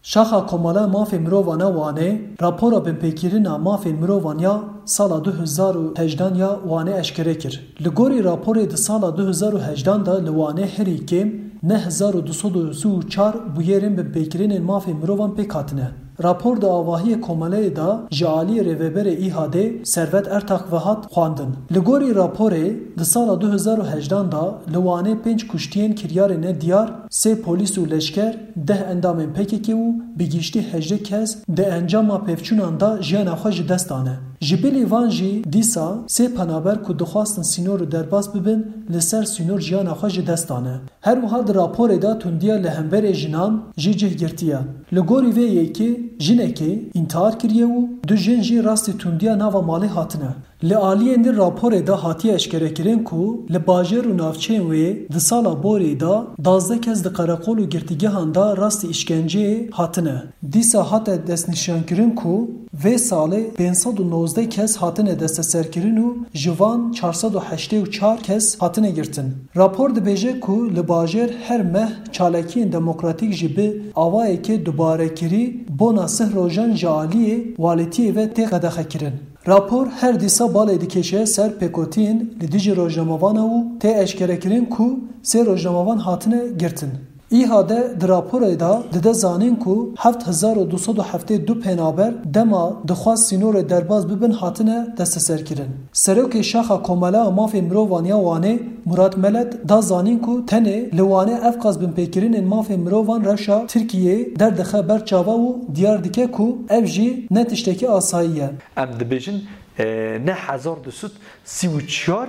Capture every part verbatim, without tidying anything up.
Şaxa Komala Mafê Mirovan a Wanê rapora binpêkirina mafên mirovan ya sala du hezar û hejdan ya Wanê eşkere kir. Li gorî raporê di sala du hezar û hejdan de li Wanê herî kêm neh hezar û du sed û sî û çar bûyerên binpêkirinên mafên mirovan pêk hatine. Rapor di avahiyê komeleyê de ji aliyê rêveberê Îhadê Servet Ertax ve hat xwendin. Li gorî raporê, di sala du hezar û hejdan de li Wanê pênc kuştiyên kiryarê nediyar, sê polîs û leşker, deh endamên P K K û bi giştî hejdeh kes di encama pevçûnan de jiyana xwe ji dest dane. Ji bilî van jî dîsa sê penaber ku dixwastin sînor û derbas bibin, li ser sînor jiyana xwe ji dest dane. Her wiha di raporê de tundiya li hemberê jinan jî cih girtiye. Li gorî vê yekê jinekê întihar kiriye û du jin jî rastî tundiya nava malê hatine. Li aliyên din raporê de hatiye eşkerekirin ku li bajêr û navçeyên wê di sala borî de duwazdeh kes di qereqol û girtîgehan de rastî îşkenceyê hatine. Dîsa hate destnîşankirin ku vê salê pênc sed û nozdeh kes hatine desteserkirin û ji van çar sed û heştê û çar kes hatine girtin. Rapor dibêje ku li bajêr her meh çalakiyên demokratîk jî bi awayekê dubarekirî bona sih rojan ji aliyê walîtiyê ve tê qedexekirin. Rapor her dîsa balê dikêşe ser pêkotiyên li dijî rojnamevana û tê eşkerekirin ku sê rojnamevan hatine girtin. Îhade di raporê de dide zanîn ku heft hezar û du sed û heftê du penaber dema dixwest sînorê derbas bibin hatine desteserkirin. Serokê Şaxa Komela a Mafê Mirovan ya Wanê Murat Melet da zanîn ku tenê li Wanê ev qas binpêkirinên mafê mirovan rewşa Tirkiyeyê derdixe ber çava û diyar dike ku ev jî ne tiştekî asayî ye. Em dibêjin, e, ne hezar du sed sî û çar,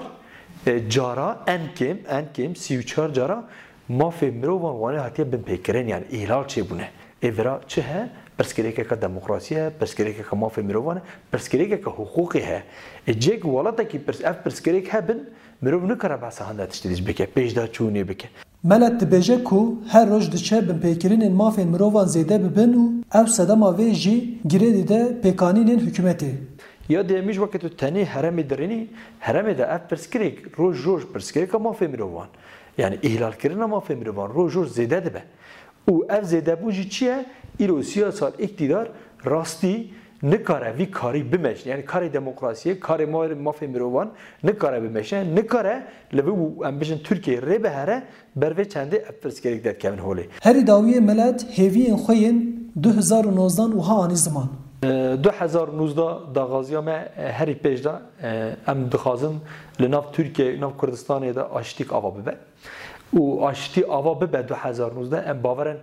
e, cara en kêm, en kêm sî û çar cara mafê mirovan Wanê hatiye binpêkirin, yani îhlal çêbûne. Ê vira çi he? Pirsgirêkeke demokrasî he, pirsgirêkeke mafê mirovan e, pirsgirêkeke hiqûqê he. Ê cêk welatekî pirs-, ev pirsgirêk hebin, mirov nikare behsa hinde tiştê dî bike, pêşdaçûnê bike. Melet dibêje ku her roj diçe binpêkirinên mafên mirovan zêde bibin û ew sedema vê jî girê dide pêkanînên hikûmetê. Ya duyemî jî weke tu tenê heremê dirênî, heremê de ev pirsgirêk roj roj pirsgirêka mafê mirovan, yani îhlalkirina mafê mirovan roj roj zêde dibe. Û ev zêdebûn jî çi ye? Îro sî sal îktîdar rastî nikare vî karî bimeşne. Yani karê demokrasiyê, karê ma-, mafê mirovan nikare bimeşne. Nikare li vî, em bijin Tirkiyeyê rê bihere, ber vê çendê ev pirsgirêk derkevin holê. Herî dawiyê Melet hêviyên xwe yên du hezar û nozdeh wiha anî ziman. E, du hezar û nozdeh daxwaziya me, e, herî pêş de, e, em dixwazin li nav Tirkiyeyê, nav Kurdistanê de aştîk ava bibe. Û aştî ava bibe du hezar û nozdeh, em bawer in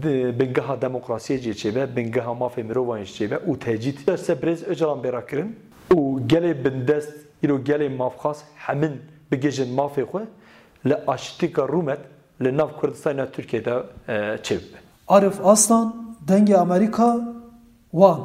di-, bingeha demokrasiyê jî çêbe, bingeha mafê mirovan jî çêbe û tecît ser Birêz Ocalan bê rakirin û gelê bindest, îro gelê mafxwaz hemin bigihîjin mafê xwe, li aştîka rûmet li nav Kurdistanê, nav Tirkiyeyê de, e, çêbibe. Arif Aslan, Dengê Amerîka, Wan.